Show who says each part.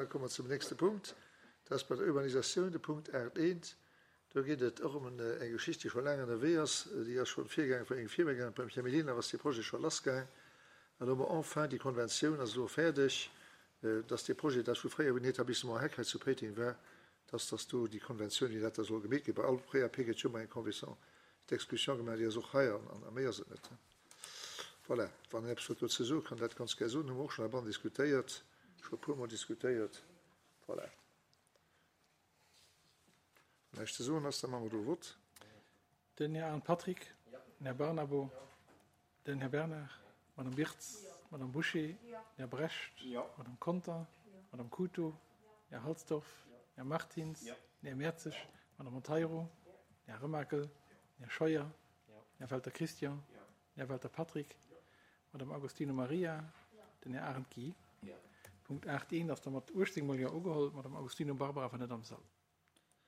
Speaker 1: Da komme mer zum nächste Punkt. Dat ass bei der Urbanisatioun de Punkt 8.1. Do geet et och ëm eng Geschicht, déi scho laang ënnerwee ass. Déi ass schonn virgaangen vun engem Virgänger, beim Här Mellina ass dee Projet scho lassgaang. An elo hu mer enfin déi Konventioun ass elo fäerdeg, dass dee Projet, dat vu fréier wou den Etablissement Heck hei zu Péiteng war, dass dass do déi Konventioun, wéi dat da soll gemeet ginn, bei all PAP gëtt jo ëmmer eng Convention d'expulsion gemaach, déi ass och hei an a méi ass et net. Voilà, wann een eppes huet dozou soen, kann dat ganz gär soen. Hu mer och schonn heibannen diskutéiert, scho e puermol diskutéiert. Voilà. Wann näischt ze soen ass, da maache mer do e Vott.
Speaker 2: Den Här Arndt Patrick, den Här Barnabo, den Här Bernard, d'Madame Birtz, d'Madame Bouché, den Här Brecht, d'Madame Conter, d'Madame Couto, den Här Halsdorf, den Här Martins, den Här Mertzig, d'Madame Monteiro, den Här Remakel, den Här Scheuer, den Här Welter Christian, den Här Welter Patrick, d'Madame Agostino Maria, den Här Arendt Guy. Punkt 8.1 ass da mat 18 mol Jo ugeholl, d'Madame Agostino Barbara war net am Sall.